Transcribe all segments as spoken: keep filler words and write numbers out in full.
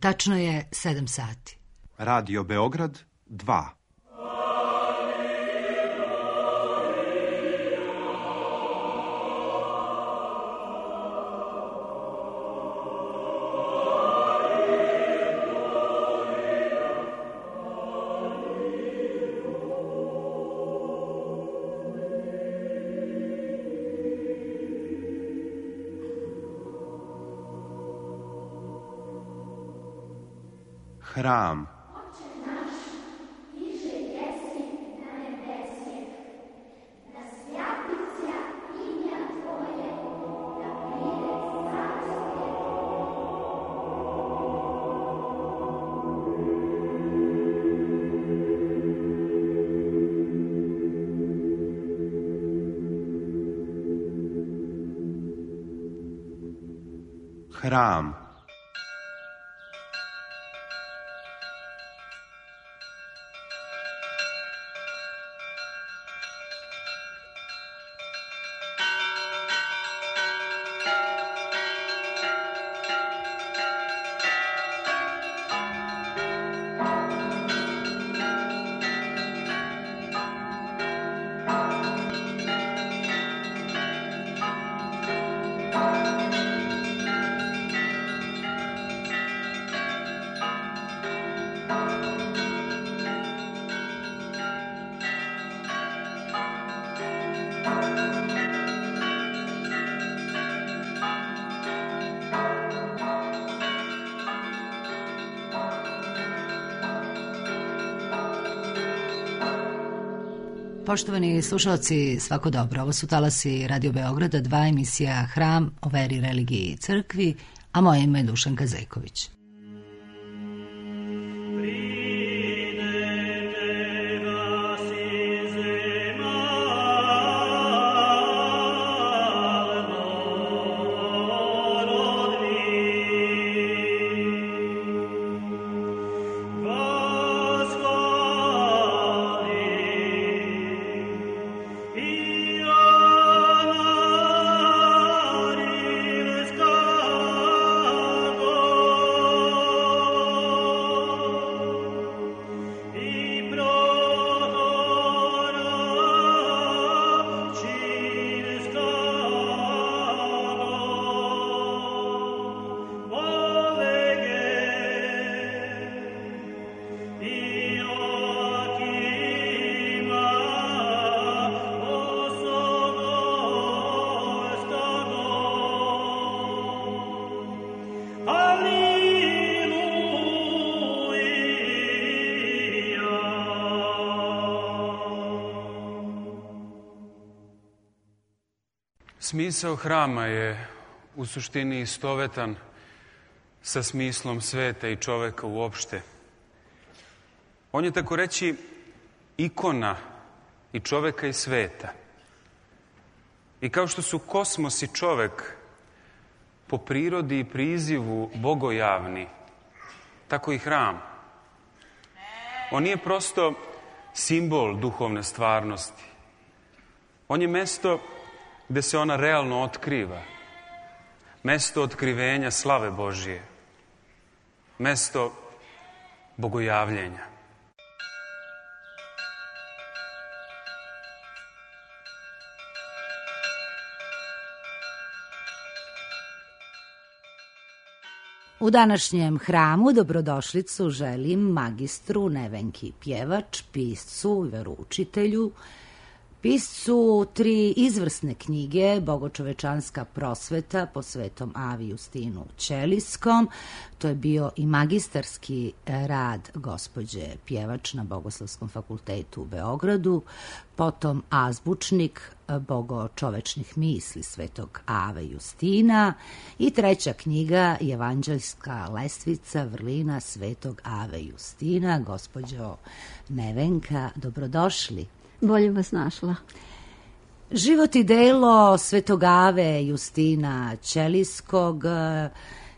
Tačno je sedam sati. Radio Beograd dva. Hram. Hram. Poštovani slušalci, svako dobro. Ovo su talasi Radio Beograda, dva, emisija Hram o veri, religiji i crkvi, a moje ime je Dušanka Zejković. Smisao hrama je u suštini istovetan sa smislom sveta i čoveka uopšte. On je, tako reći, ikona i čoveka i sveta. I kao što su kosmos i čovek po prirodi i prizivu bogojavni, tako i hram. On nije prosto simbol duhovne stvarnosti. On je mesto gde se ona realno otkriva. Mesto otkrivenja slave Božije. Mesto bogojavljenja. U današnjem hramu dobrodošlicu želim magistru Nevenki Pjevač, piscu i veroučitelju, piscu tri izvrsne knjige Bogočovečanska prosveta po Svetom Avi Justinu Ćelijskom. To je bio i magistarski rad gospođe Pjevač na Bogoslovskom fakultetu u Beogradu, potom azbučnik Bogočovečnih misli Svetog Ave Justina i treća knjiga Evanđeljska lestvica vrlina Svetog Ave Justina. Gospođo Nevenka, dobrodošli. Bolje vas našla. Život i delo Svetog Ave Justina Ćelijskog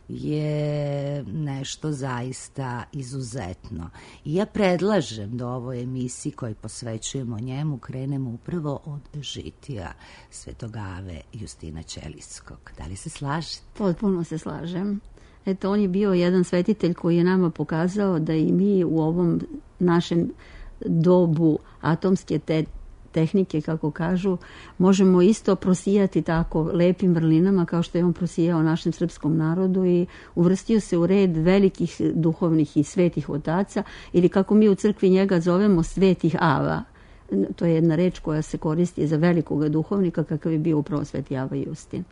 je nešto zaista izuzetno. I ja predlažem da ovoj emisiji koju posvećujemo njemu krenemo upravo od žitija Svetog Ave Justina Ćelijskog. Da li se slažete? Potpuno se slažem. Eto, on je bio jedan svetitelj koji je nama pokazao da i mi u ovom našem dobu atomske te tehnike, kako kažu, možemo isto prosijati tako lepim vrlinama kao što je on prosijao našem srpskom narodu i uvrstio se u red velikih duhovnih i svetih otaca, ili kako mi u crkvi njega zovemo svetih ava. To je jedna reč koja se koristi za velikoga duhovnika kakav je bio upravo sveti Ava Justin.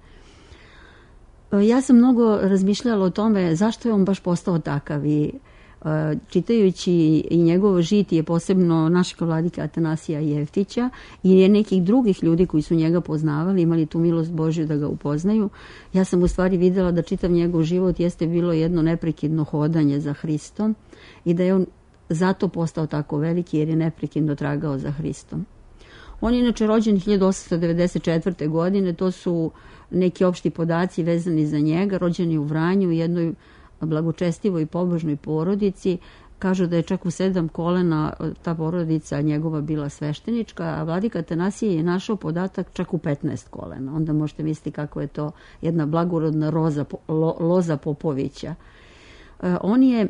Ja sam mnogo razmišljala o tome zašto je on baš postao takav i čitajući i njegovo žitije, posebno našeg vladika Atanasija Jeftića i nekih drugih ljudi koji su njega poznavali, imali tu milost Božju da ga upoznaju, ja sam u stvari videla da čitav njegov život jeste bilo jedno neprekidno hodanje za Hristom i da je on zato postao tako veliki jer je neprekidno tragao za Hristom. On je inače rođen hiljadu osamsto devedeset četvrte. godine, to su neki opšti podaci vezani za njega, rođen je u Vranju u jednoj blagočestivoj i pobožnoj porodici. Kažu da je čak u sedam kolena ta porodica njegova bila sveštenička, a vladika Atanasije je našao podatak čak u petnaest kolena. Onda možete misliti kako je to jedna blagorodna roza, lo, loza Popovića. E, on je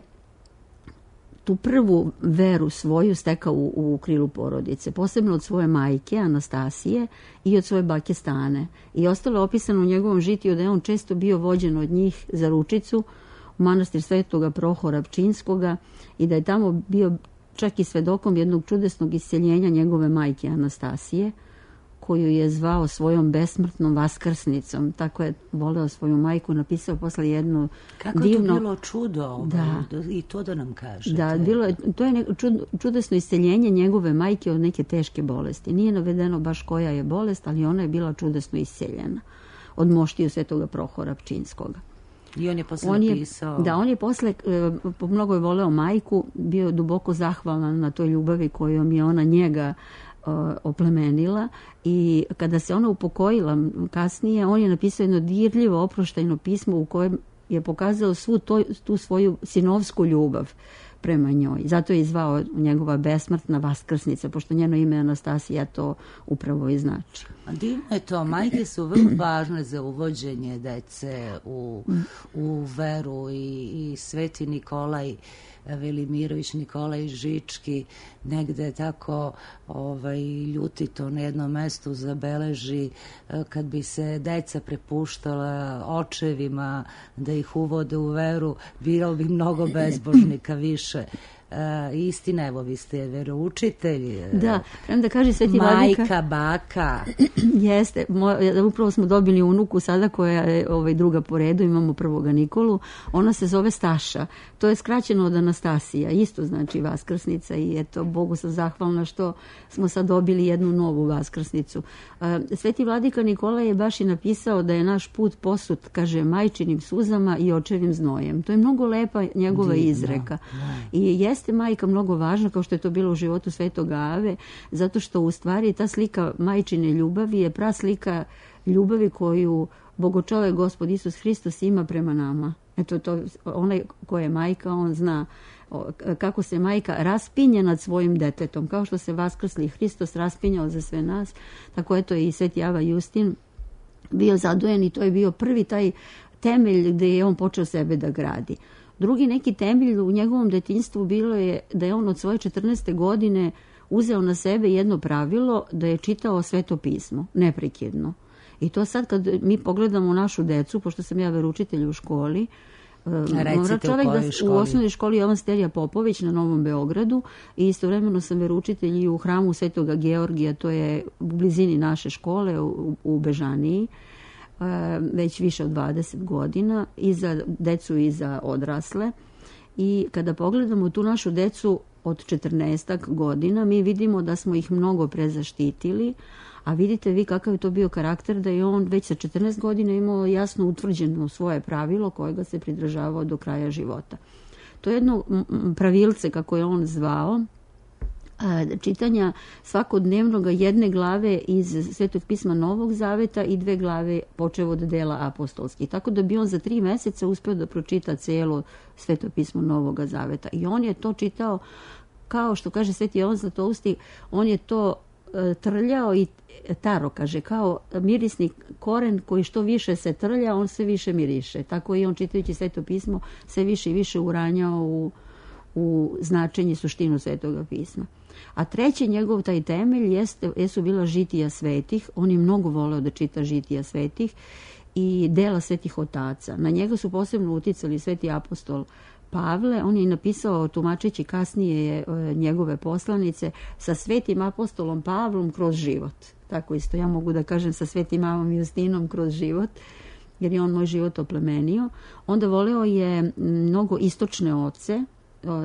tu prvu veru svoju stekao u, u krilu porodice, posebno od svoje majke Anastasije i od svoje bake Stane. I ostalo je opisano u njegovom žitiju da je on često bio vođen od njih za ručicu u manastir Svetoga Prohora Pčinskoga i da je tamo bio čak i svedokom jednog čudesnog isceljenja njegove majke Anastasije, koju je zvao svojom besmrtnom vaskrsnicom. Tako je voleo svoju majku, napisao posle jednu Kako divno... je to bilo čudo, da. I to da nam kažete. Da, bilo je, to je čud, čudesno isceljenje njegove majke od neke teške bolesti. Nije navedeno baš koja je bolest, ali ona je bila čudesno isceljena od moštiju Svetoga Prohora Pčinskoga. I on je posle on je, napisao... Da, on je posle, po mnogo je voleo majku, bio duboko zahvalan na toj ljubavi kojom je ona njega oplemenila i kada se ona upokojila kasnije, on je napisao jedno dirljivo oproštajno pismo u kojem je pokazao svu to, tu svoju sinovsku ljubav prema njoj. Zato je zvao njegova besmrtna vaskrsnica, pošto njeno ime Anastasija to upravo i znači. Divno je to. Majke su vrlo važne za uvođenje dece u, u veru i, i Sveti Nikolaj Velimirović, Nikolaj Žički negde tako ovaj, ljutito na jednom mestu zabeleži kad bi se deca prepuštala očevima da ih uvode u veru, bilo bi mnogo bezbožnika više. Uh, istina, evo, vi ste veroučitelj. Da, prema da kaže Sveti majka, vladika, baka. Jeste, mo, upravo smo dobili unuku sada koja je ovaj, druga po redu, imamo prvoga Nikolu, ona se zove Staša, to je skraćeno od Anastasija, isto znači vaskrsnica i eto, Bogu sam zahvalna što smo sad dobili jednu novu vaskrsnicu. Uh, Sveti vladika Nikola je baš i napisao da je naš put posut, kaže, majčinim suzama i očevim znojem. To je mnogo lepa njegova Divno, izreka. Da. I jeste majka mnogo važna, kao što je to bilo u životu Svetoga Ave, zato što u stvari ta slika majčine ljubavi je praslika ljubavi koju Bogočovek Gospod Isus Hristos ima prema nama. Eto, to, onaj ko je majka, on zna kako se majka raspinje nad svojim detetom, kao što se vaskrsli Hristos raspinjao za sve nas, tako eto i Sveti Ava Justin bio zadojen i to je bio prvi taj temelj gde je on počeo sebe da gradi. Drugi neki temelj u njegovom detinjstvu bilo je da je on od svoje četrnaeste godine uzeo na sebe jedno pravilo da je čitao Sveto pismo, neprekidno. I to sad kad mi pogledamo našu decu, pošto sam ja veroučitelj u školi, Recite, čovjek u da, školi? U osnovnoj školi Jovan Sterija Popović na Novom Beogradu i istovremeno sam veroučitelj i u hramu Svetoga Georgija, to je u blizini naše škole u, u Bežaniji, već više od dvadeset godina, i za decu i za odrasle. I kada pogledamo tu našu decu od četrnaestak godina, mi vidimo da smo ih mnogo prezaštitili, a vidite vi kakav je to bio karakter, da je on već sa četrnaest godina imao jasno utvrđeno svoje pravilo kojega se pridržavao do kraja života. To je jedno pravilce, kako je on zvao, čitanja svakodnevnog jedne glave iz Svetog pisma Novog Zaveta i dve glave počev od dela apostolskih. Tako da bi on za tri meseca uspeo da pročita celo Sveto pismo Novog Zaveta. I on je to čitao, kao što kaže Sveti Jovan Zlatousti, on je to trljao i taro, kaže, kao mirisni koren koji što više se trlja, on sve više miriše. Tako i on, čitajući Sveto pismo, sve više i više uranjao u, u značenje i suštinu Svetoga pisma. A treći njegov taj temelj jeste, jesu bila žitija svetih. On je mnogo voleo da čita žitija svetih i dela svetih otaca. Na njega su posebno uticali sveti apostol Pavle. On je napisao, tumačeći kasnije njegove poslanice, sa svetim apostolom Pavlom kroz život. Tako isto ja mogu da kažem sa svetim mamom Justinom kroz život, jer je on moj život oplemenio. Onda voleo je mnogo istočne oce,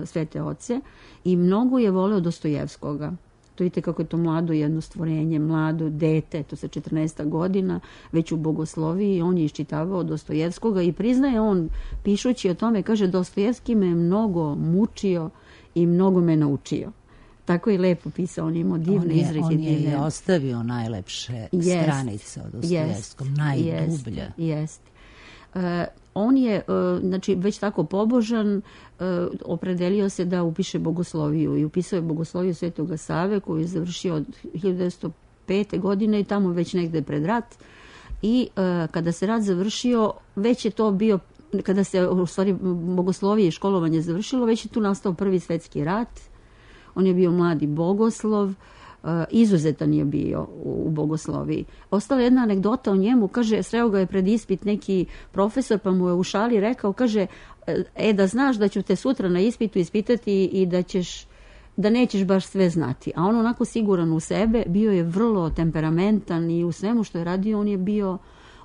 svete oce, i mnogo je voleo Dostojevskoga. To vidite kako je to mlado jedno stvorenje, mlado dete, to sa četrnaesta godina, već u bogosloviji, on je iščitavao Dostojevskoga i priznaje on, pišući o tome, kaže, Dostojevski me mnogo mučio i mnogo me naučio. Tako je lepo pisao, on je imao divne izreke. On je divne. ostavio najlepše jest, stranice od Dostojevskom, jest, najdublje. Jest. Uh, on je, uh, znači, već tako pobožan, uh, opredelio se da upiše bogosloviju i upisao je bogosloviju Svetoga Save koju je završio od hiljadu devetsto pete. godine i tamo već negde pred rat. I uh, kada se rat završio, već je to bio, kada se u stvari bogoslovije i školovanje završilo, već je tu nastao Prvi svetski rat. On je bio mladi bogoslov, izuzetan je bio u bogosloviji. Ostala jedna anegdota o njemu, kaže, sreo ga je pred ispit neki profesor, pa mu je u šali rekao, kaže, e, da znaš da ću te sutra na ispitu ispitati i da ćeš, da nećeš baš sve znati. A on onako siguran u sebe, bio je vrlo temperamentan i u svemu što je radio, on je bio,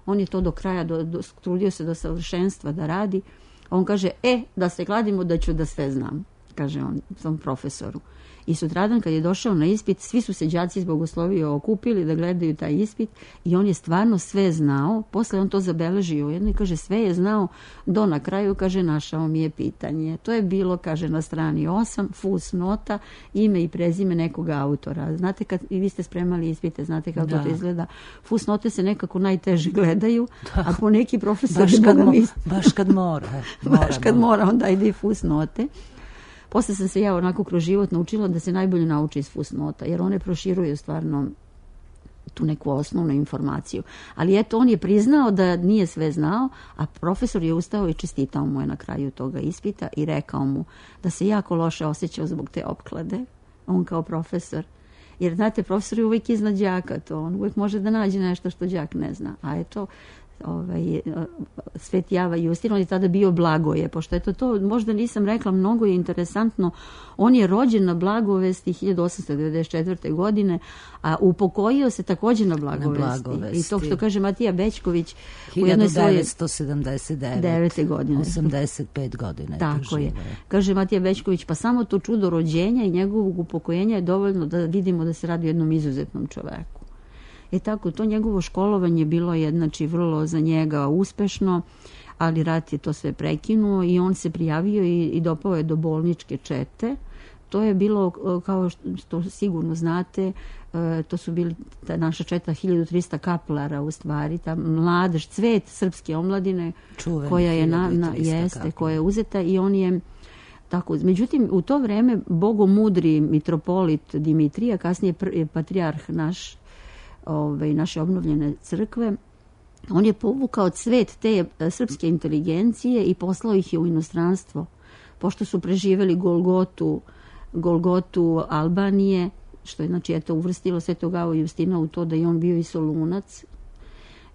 on je to do kraja, do, do, trudio se do savršenstva da radi. A on kaže, e, da se kladimo da ću da sve znam, kaže on tom profesoru. I sutradan kad je došao na ispit, svi su se đaci iz bogoslovije okupili da gledaju taj ispit i on je stvarno sve znao. Posle on to zabeležio jedno i kaže, sve je znao do na kraju, kaže, našao mi je pitanje. To je bilo, kaže, na strani osam, fus nota, ime i prezime nekog autora. Znate, kad i vi ste spremali ispite, znate kako da. to izgleda. Fus note se nekako najteže gledaju, da. a po neki profesor... Baš kad, mo, baš kad mora. mora baš kad mora, onda ide i fus note. Posle sam se ja onako kroz život naučila da se najbolje nauči iz fusnota, jer one proširuju stvarno tu neku osnovnu informaciju. Ali eto, on je priznao da nije sve znao, a profesor je ustao i čestitao mu je na kraju toga ispita i rekao mu da se jako loše osjećao zbog te opklade, on kao profesor. Jer, znate, profesor je uvijek iznad đaka, to on uvijek može da nađe nešto što đak ne zna. A eto, ovaj, Sveti Java Justin, on je tada bio Blagoje, pošto eto to, možda nisam rekla, mnogo je interesantno, on je rođen na Blagovesti hiljadu osamsto devedeset četvrte. godine, a upokojio se također na Blagovesti. Na Blagovesti. I to što kaže Matija Bečković u jednoj svojoj hiljadu devetsto sedamdeset devete. godine. osamdeset pet godine. Tako je. Kaže Matija Bečković, pa samo to čudo rođenja i njegovog upokojenja je dovoljno da vidimo da se radi o jednom izuzetnom čoveku. I tako, to njegovo školovanje bilo je, znači, vrlo za njega uspešno, ali rat je to sve prekinuo i on se prijavio i, i dopao je do bolničke čete. To je bilo, kao što sigurno znate, to su bili ta naša četa hiljadu trista kaplara, u stvari, ta mladež, cvet srpske omladine, Čuveni, koja je na, na jeste, koja je uzeta i on je tako. Međutim, u to vreme bogomudri mitropolit Dimitrija, kasnije patrijarh naš, Ove, naše obnovljene crkve, on je povukao cvet te srpske inteligencije i poslao ih je u inostranstvo, pošto su preživeli Golgotu, Golgotu Albanije, što je, znači, eto, uvrstilo Svetog Ava Justina u to da je on bio i Solunac.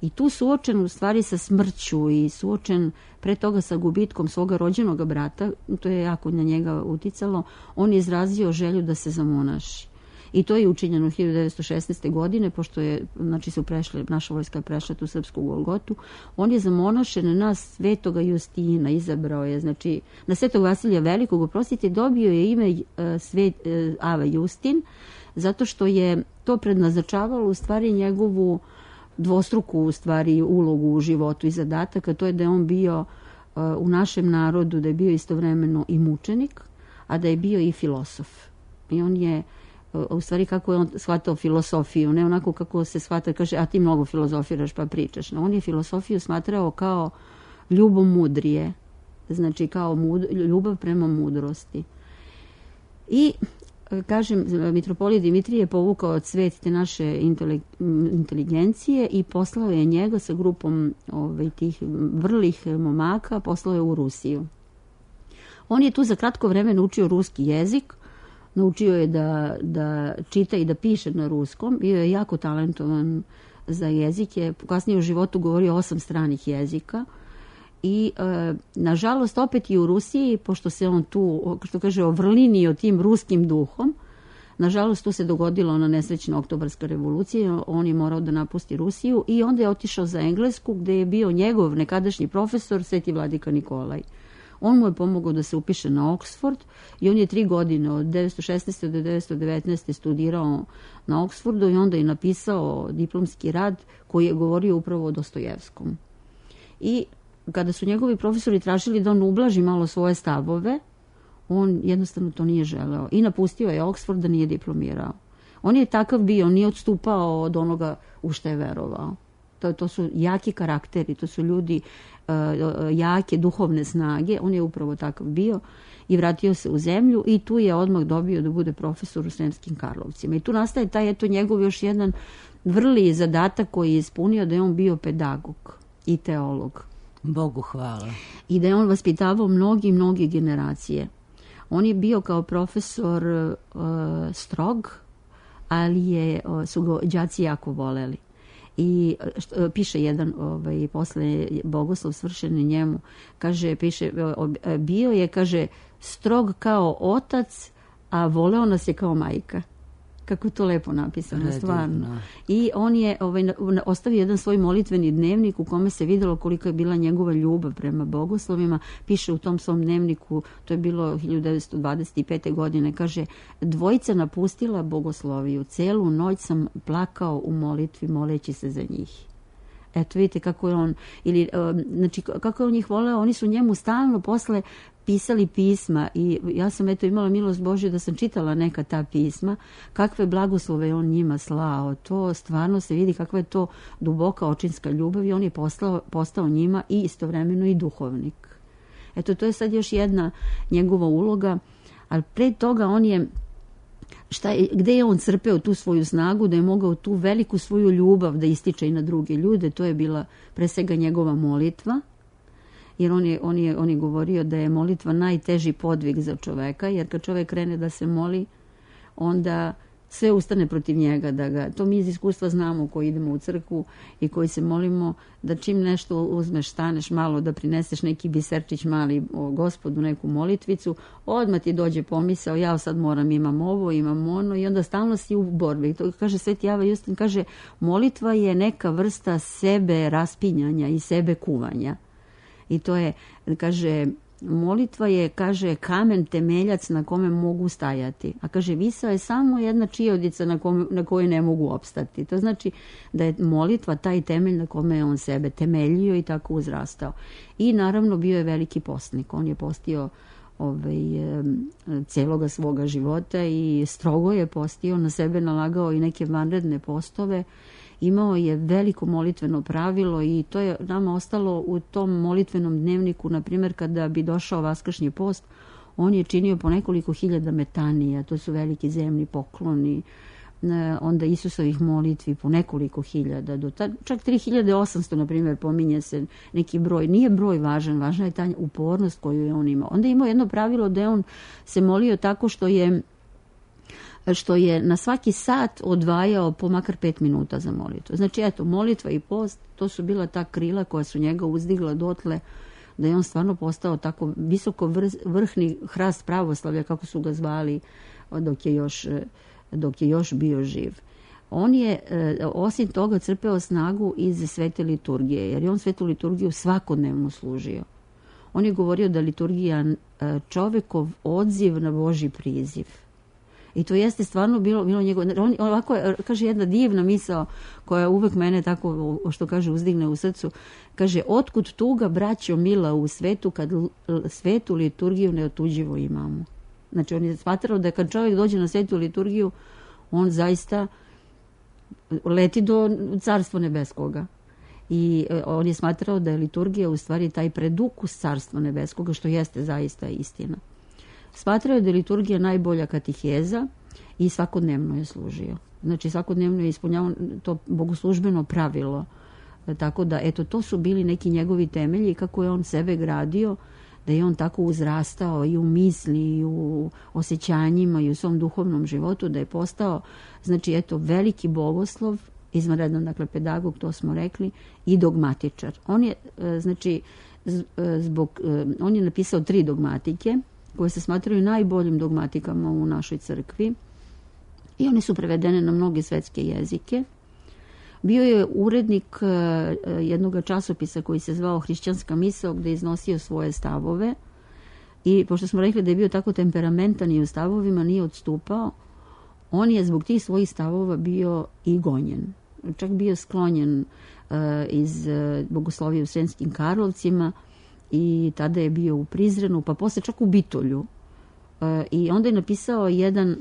I tu suočen u stvari sa smrću i suočen pre toga sa gubitkom svoga rođenog brata, to je jako na njega uticalo, on je izrazio želju da se zamonaši. I to je učinjeno hiljadu devetsto šesnaeste. godine, pošto je, znači, su prešli, naša vojska je prešla tu srpsku Golgotu. On je zamonašen na Svetoga Justina, izabrao je, znači, na Svetog Vasilija Velikog, oprostite, dobio je ime uh, Svet uh, Ava Justin, zato što je to prednaznačavalo u stvari njegovu dvostruku u stvari ulogu u životu i zadatak, a to je da je on bio uh, u našem narodu, da je bio istovremeno i mučenik, a da je bio i filosof. I on je u stvari kako je on shvatao filosofiju, ne onako kako se shvata, kaže, a ti mnogo filozofiraš pa pričaš. No, on je filosofiju smatrao kao ljubomudrije, znači kao mud, ljubav prema mudrosti. I kažem, mitropolit Dimitrije je povukao cvet te naše inteligencije i poslao je njega sa grupom ovaj, tih vrlih momaka, poslao je u Rusiju. On je tu za kratko vreme naučio ruski jezik, naučio je da, da čita i da piše na ruskom, bio je jako talentovan za jezike, kasnije u životu govorio osam stranih jezika i e, nažalost opet i u Rusiji, pošto se on tu, što kaže, ovrlinio tim ruskim duhom, nažalost tu se dogodila ona nesrećna oktobarska revolucija, on je morao da napusti Rusiju i onda je otišao za Englesku gde je bio njegov nekadašnji profesor Sveti vladika Nikolaj. On mu je pomogao da se upiše na Oxford i on je tri godine od devetsto šesnaeste do devetsto devetnaeste studirao na Oxfordu i onda je napisao diplomski rad koji je govorio upravo o Dostojevskom. I kada su njegovi profesori tražili da on ublaži malo svoje stavove, on jednostavno to nije želeo i napustio je Oxford da nije diplomirao. On je takav bio, on nije odstupao od onoga u što je verovao. To, to su jaki karakteri, to su ljudi uh, jake duhovne snage, on je upravo takav bio i vratio se u zemlju i tu je odmah dobio da bude profesor u Sremskim Karlovcima. I tu nastaje taj eto njegov još jedan vrli zadatak koji je ispunio, da je on bio pedagog i teolog. Bogu hvala. I da je on vaspitavao mnogi, mnogi generacije. On je bio kao profesor uh, strog, ali je, uh, su ga đaci jako voleli. I što, piše jedan ovaj, posle bogoslov svršen njemu, kaže, piše, bio je, kaže, strog kao otac, a voleo nas je kao majka. Kako je to lepo napisano, Redivno. Stvarno. I on je ovaj, ostavio jedan svoj molitveni dnevnik u kome se videlo koliko je bila njegova ljubav prema bogoslovima. Piše u tom svom dnevniku, to je bilo hiljadu devetsto dvadeset pete. godine, kaže, dvojica napustila bogosloviju, celu noć sam plakao u molitvi moleći se za njih. Eto, vidite kako je on, ili, znači, kako je on njih voleo, oni su njemu stalno posle pisali pisma i ja sam eto imala milost Božju da sam čitala neka ta pisma, kakve blagoslove on njima slao, to stvarno se vidi kakva je to duboka očinska ljubav i on je postao, postao njima i istovremeno i duhovnik. Eto, to je sad još jedna njegova uloga, ali pre toga on je Šta je, gde je on crpeo tu svoju snagu, da je mogao tu veliku svoju ljubav da ističe i na druge ljude, to je bila pre svega njegova molitva, jer on je, on je, on je govorio da je molitva najteži podvig za čoveka, jer kad čovek krene da se moli, onda sve ustane protiv njega, da ga, to mi iz iskustva znamo koji idemo u crkvu i koji se molimo, da čim nešto uzmeš, staneš malo, da prineseš neki biserčić mali o Gospodu, neku molitvicu, odmah ti dođe pomisao, ja sad moram, imam ovo, imam ono i onda stalno si u borbi. To kaže Sveti Java Justin, kaže, molitva je neka vrsta sebe raspinjanja i sebe kuvanja. I to je, kaže, molitva je, kaže, kamen temeljac na kome mogu stajati. A kaže, visao je samo jedna čijodica na, kome, na kojoj ne mogu opstati. To znači da je molitva taj temelj na kome je on sebe temeljio i tako uzrastao. I naravno bio je veliki postnik. On je postio ovaj, celoga svoga života i strogo je postio, na sebe nalagao i neke vanredne postove. Imao je veliko molitveno pravilo i to je nama ostalo u tom molitvenom dnevniku, na primjer kada bi došao vaskršnji post, on je činio po nekoliko hiljada metanija, to su veliki zemni pokloni, onda Isusovih molitvi po nekoliko hiljada, do ta, čak tri hiljade osamsto, na primjer, pominje se neki broj. Nije broj važan, važna je ta upornost koju je on imao. Onda je imao jedno pravilo da je on se molio tako što je što je na svaki sat odvajao po makar pet minuta za molitvu. Znači, eto, molitva i post, to su bila ta krila koja su njega uzdigla dotle da je on stvarno postao tako visoko vrh, vrhni hrast pravoslavlja, kako su ga zvali dok je još, dok je još bio živ. On je, osim toga, crpeo snagu iz svete liturgije, jer je on svetu liturgiju svakodnevno služio. On je govorio da liturgija čovekov odziv na Božji priziv. I to jeste stvarno bilo, bilo njegov... On, ovako, kaže, jedna divna misao koja uvek mene tako, što kaže, uzdigne u srcu. Kaže, otkud tuga, braćo mila, u svetu, kad svetu liturgiju neotuđivo imamo. Znači, on je smatrao da kad čovjek dođe na svetu liturgiju, on zaista leti do carstva nebeskoga. I on je smatrao da je liturgija u stvari taj predukus carstva nebeskoga, što jeste zaista istina. Smatrao je da je liturgija najbolja katiheza i svakodnevno je služio. Znači svakodnevno je ispunjavao to bogoslužbeno pravilo. Tako da, eto, to su bili neki njegovi temelji, kako je on sebe gradio, da je on tako uzrastao i u misli, i u osjećanjima, i u svom duhovnom životu, da je postao, znači, eto, veliki bogoslov, izvanredan, dakle, pedagog, to smo rekli, i dogmatičar. On je, znači, zbog, on je napisao tri dogmatike, koje se smatraju najboljim dogmatikama u našoj crkvi, i one su prevedene na mnoge svetske jezike. Bio je urednik jednog časopisa koji se zvao Hrišćanska misao, gde je iznosio svoje stavove, i pošto smo rekli da je bio tako temperamentan i u stavovima nije odstupao, on je zbog tih svojih stavova bio i gonjen. Čak bio sklonjen iz bogoslovije u Sremskim Karlovcima i tada je bio u Prizrenu, pa posle čak u Bitolju. I onda je napisao jedan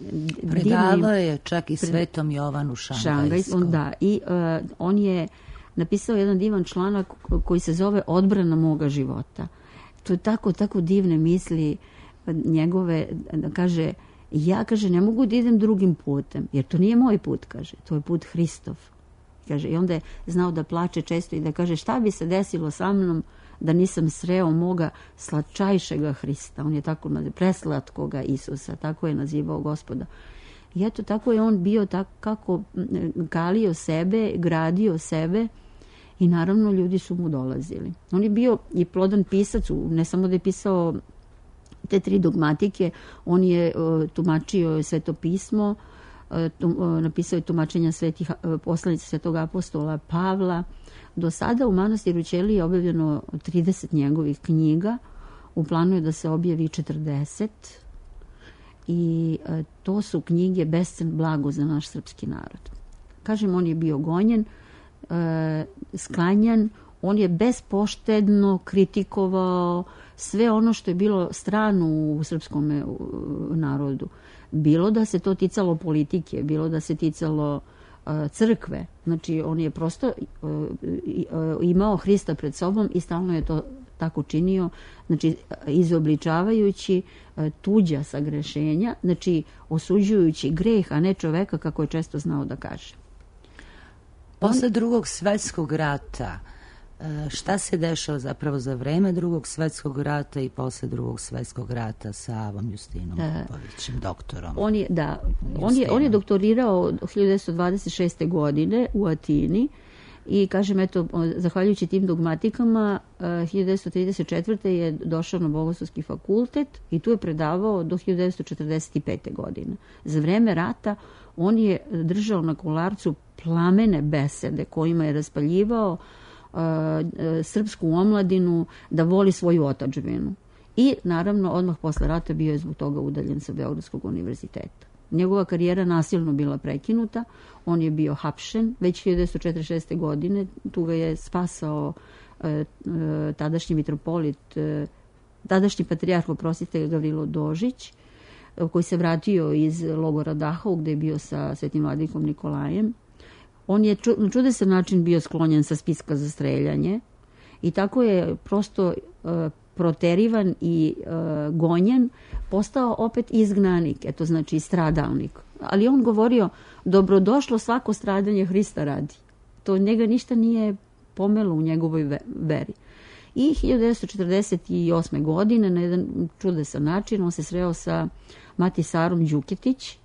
predavao divni, je čak i Svetom Jovanu Šangajskom. Šangajskom, da. I uh, on je napisao jedan divan članak koji se zove Odbrana moga života. To je tako, tako divne misli njegove, da kaže, ja, kaže, ne mogu da idem drugim putem, jer to nije moj put, kaže, to je put Hristov. Kaže, i onda je znao da plače često i da kaže, šta bi se desilo sa mnom da nisam sreo moga slatčajšega Hrista. On je tako nazivao, preslatkoga Isusa, tako je nazivao Gospoda. I eto, tako je on bio, tako kako kalio sebe, gradio sebe, i naravno ljudi su mu dolazili. On je bio i plodan pisac, ne samo da je pisao te tri dogmatike, on je uh, tumačio Sveto pismo, uh, tum, uh, napisao je tumačenja svetih uh, poslanica Svetog apostola Pavla. Do sada u manastiru Ćelije je objavljeno trideset njegovih knjiga, u planu je da se objavi četrdeset, i uh, to su knjige bescen blago za naš srpski narod. Kažem, on je bio gonjen, uh, sklanjan, on je bespoštedno kritikovao sve ono što je bilo strano u srpskom narodu. Bilo da se to ticalo politike, bilo da se ticalo uh, crkve. Znači, on je prosto uh, uh, imao Hrista pred sobom i stalno je to tako činio, znači izobličavajući uh, tuđa sagrešenja, znači osuđujući greh, a ne čoveka, kako je često znao da kaže. Posle on... drugog svetskog rata, šta se dešava zapravo za vreme drugog svetskog rata i posle drugog svetskog rata sa Avom Justinom Popovićem, doktorom? On je, da, on je, on je doktorirao hiljadu devetsto dvadeset šeste. godine u Atini i, kažem, eto, zahvaljujući tim dogmatikama, hiljadu devetsto trideset četvrte. je došao na Bogoslovski fakultet i tu je predavao do hiljadu devetsto četrdeset pete. godine. Za vreme rata on je držao na Kolarcu plamene besede kojima je raspaljivao Uh, srpsku omladinu da voli svoju otadžbinu. I naravno odmah posle rata bio je zbog toga udaljen sa Beogradskog univerziteta. Njegova karijera nasilno bila prekinuta, on je bio hapšen već hiljadu devetsto četrdeset šeste. godine, tu ga je spasao uh, uh, tadašnji mitropolit, uh, tadašnji patrijarh, oprostite, Gavrilo Dožić, uh, koji se vratio iz logora Dachau gde je bio sa svetim vladikom Nikolajem. On je na čudesan način bio sklonjen sa spiska za streljanje i tako je prosto uh, proterivan i uh, gonjen, postao opet izgnanik, eto, znači stradalnik. Ali on govorio, dobrodošlo svako stradanje Hrista radi. To njega ništa nije pomelo u njegovoj veri. I hiljadu devetsto četrdeset osme. godine na jedan čudesan način on se sreo sa Matisarom Đuketić,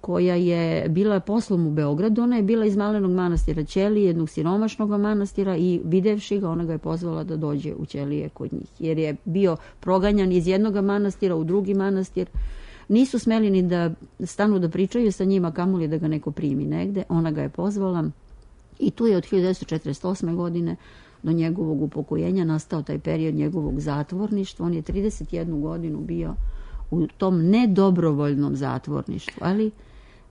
koja je bila poslom u Beogradu. Ona je bila iz malenog manastira Ćelije, jednog siromašnog manastira, i videvši ga, ona ga je pozvala da dođe u Ćelije kod njih, jer je bio proganjan iz jednog manastira u drugi manastir. Nisu smeli ni da stanu da pričaju sa njima, kamoli da ga neko primi negde. Ona ga je pozvala i tu je od hiljadu devetsto četrdeset osme. godine do njegovog upokojenja nastao taj period njegovog zatvorništva. On je trideset jednu godinu bio u tom nedobrovoljnom zatvorništvu, ali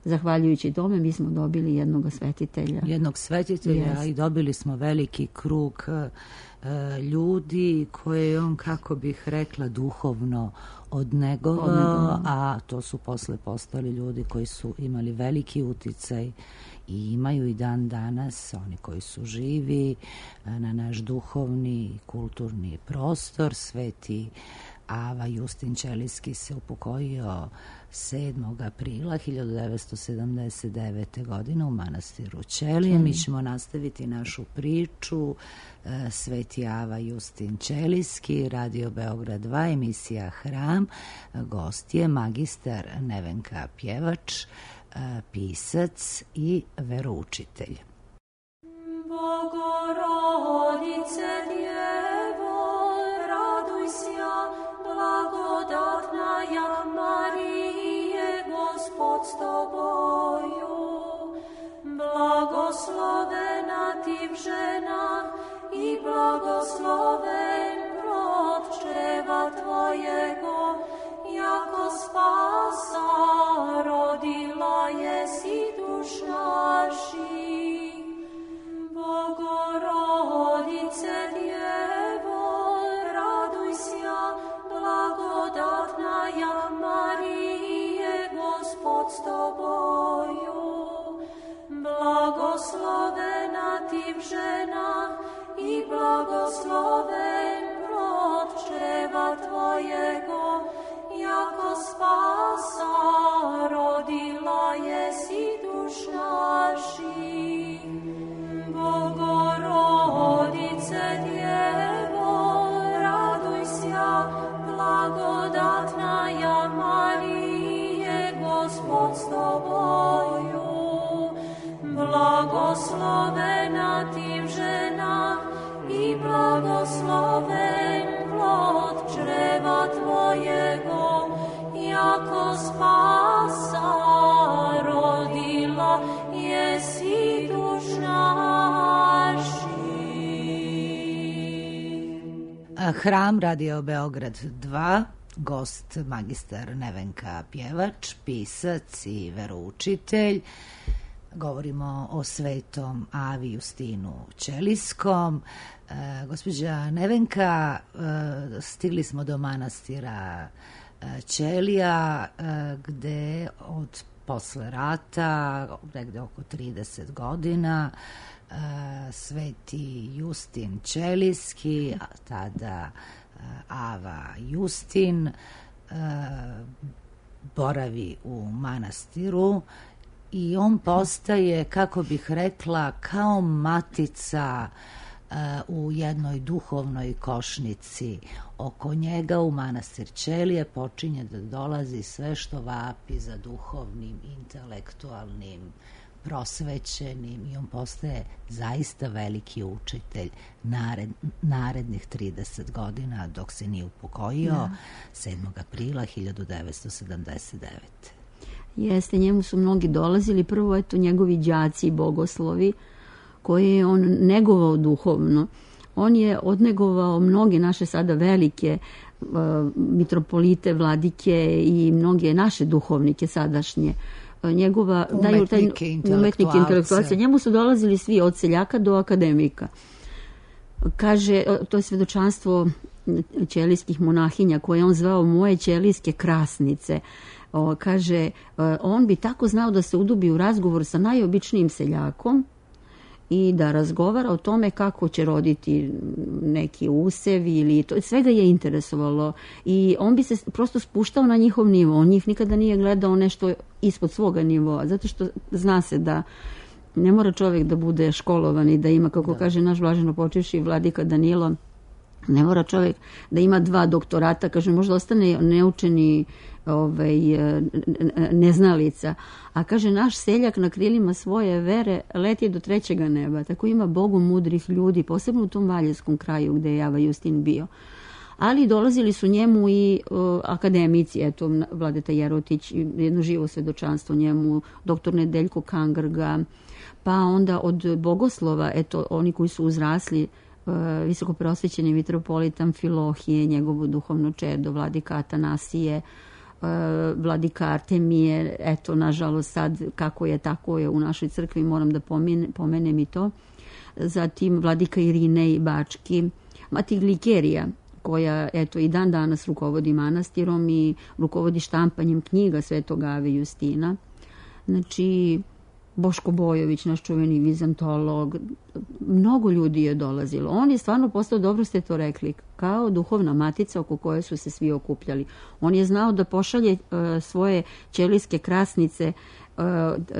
zahvaljujući tome mi smo dobili jednog svetitelja. Jednog svetitelja yes. I dobili smo veliki krug uh, ljudi koje je on, kako bih rekla, duhovno odnegovao, odnegovao, a to su posle postali ljudi koji su imali veliki uticaj i imaju i dan danas, oni koji su živi na naš duhovni i kulturni prostor. Sveti Ava Justin Ćelijski se upokojio sedmog aprila hiljadu devetsto sedamdeset devete. godine u manastiru Ćelije. Mi ćemo nastaviti našu priču. Sveti Ava Justin Ćelijski, Radio Beograd dva, emisija Hram. Gost je magistar Nevenka Pjevač, pisac i veroučitelj. Bogorodice Djevo, raduj sja, blagodatna ja Marije, Gospod s tobою. Blagoslovena ti v ženah i blagosloven plod čreva tvojego, jako spasa rodila jesi duš naših. Bogorodice Djevo, raduj sja, blagodatna ja Marije, Gospod s tobою. Blagoslovena ti v ženah i blagosloven plod čreva tvojego, jako spasa rodila jesi duš naših. Bogorodice Djevo, raduj sja, blagodatna ja Marije, Gospod s tobою. Blagoslovena ti v ženah i blagosloven plod čreva tvojego, jako spasa rodila jesi duš naših. Hram, Radio Beograd dva, gost magistar Nevenka Pjevač, pisac i veroučitelj. Govorimo o svetom Avi Justinu Ćelijskom. E, gospođa Nevenka, e, stigli smo do manastira e, Ćelija, e, gde od posle rata, negde oko trideset godina, e, sveti Justin Ćelijski, a tada e, Ava Justin, e, boravi u manastiru i on postaje, kako bih rekla, kao matica uh, u jednoj duhovnoj košnici. Oko njega u manastir Ćelije počinje da dolazi sve što vapi za duhovnim, intelektualnim, prosvećenim, i on postaje zaista veliki učitelj nared, narednih trideset godina dok se nije upokojio, ja. sedmog aprila hiljadu devetsto sedamdeset devete. Jeste, njemu su mnogi dolazili, prvo eto njegovi đaci i bogoslovi koje je on negovao duhovno. On je odnegovao mnoge naše sada velike uh, mitropolite, vladike i mnoge naše duhovnike sadašnje. Uh, njegova, umetnike, umetnike intelektualce. Njemu su dolazili svi od seljaka do akademika. Kaže, to je svedočanstvo ćelijskih monahinja koje on zvao moje ćelijske krasnice. O, kaže, on bi tako znao da se udubi u razgovor sa najobičnijim seljakom i da razgovara o tome kako će roditi neki usev ili to, sve ga je interesovalo i on bi se prosto spuštao na njihov nivo. On njih nikada nije gledao nešto ispod svoga nivoa, zato što zna se da ne mora čovjek da bude školovan i da ima, kako da. kaže naš blaženo počivši vladika Danilo, ne mora čovjek da ima dva doktorata, kaže, možda ostane neučeni ovaj, neznalica. A kaže, naš seljak na krilima svoje vere leti do trećega neba. Tako ima Bogu mudrih ljudi, posebno u tom valjevskom kraju gde je Ava Justin bio. Ali dolazili su njemu i o, akademici, eto, Vladeta Jerotić, jedno živo svedočanstvo njemu, doktor Nedeljko Kangrga, pa onda od bogoslova, eto, oni koji su uzrasli, visoko prosvećeni mitropolit Amfilohije, njegovo duhovno čedo, vladika Atanasije, vladika Artemije, eto, nažalost sad kako je, tako je u našoj crkvi, moram da pomenem, pomenem i to. Zatim vladika Irinej Bački, Mati Glikerija, koja, eto, i dan danas rukovodi manastirom i rukovodi štampanjem knjiga Svetog Ave Justina. Znači, Boško Bojović, naš čuveni vizantolog, mnogo ljudi je dolazilo. On je stvarno postao, dobro ste to rekli, kao duhovna matica oko koje su se svi okupljali. On je znao da pošalje uh, svoje ćelijske krasnice uh,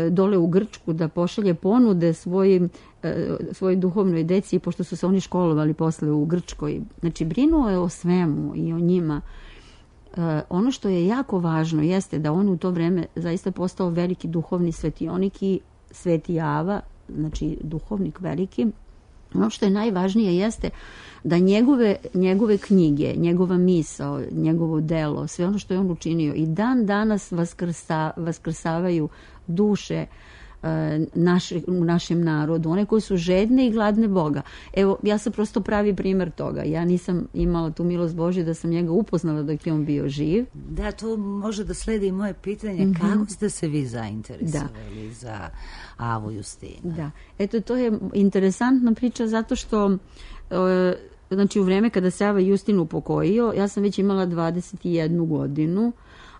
dole u Grčku, da pošalje ponude svojim, uh, svojoj duhovnoj deci, pošto su se oni školovali posle u Grčkoj. Znači, brinuo je o svemu i o njima. Uh, ono što je jako važno jeste da on u to vreme zaista postao veliki duhovni svetionik i Sveti Java, znači duhovnik veliki. Ono što je najvažnije jeste da njegove, njegove knjige, njegova misao, njegovo delo, sve ono što je on učinio i dan danas vaskrsa, vaskrsavaju duše Naše, u našem narodu, one koji su žedne i gladne Boga. Evo, ja sam prosto pravi primer toga. Ja nisam imala tu milost Božju da sam njega upoznala dok je on bio živ. Da, to može da sledi i moje pitanje. Mm-hmm. Kako ste se vi zainteresovali da. za Avu Justinu? Da, eto, to je interesantna priča zato što e, znači u vreme kada se Ava Justin upokojio, ja sam već imala dvadeset jednu godinu,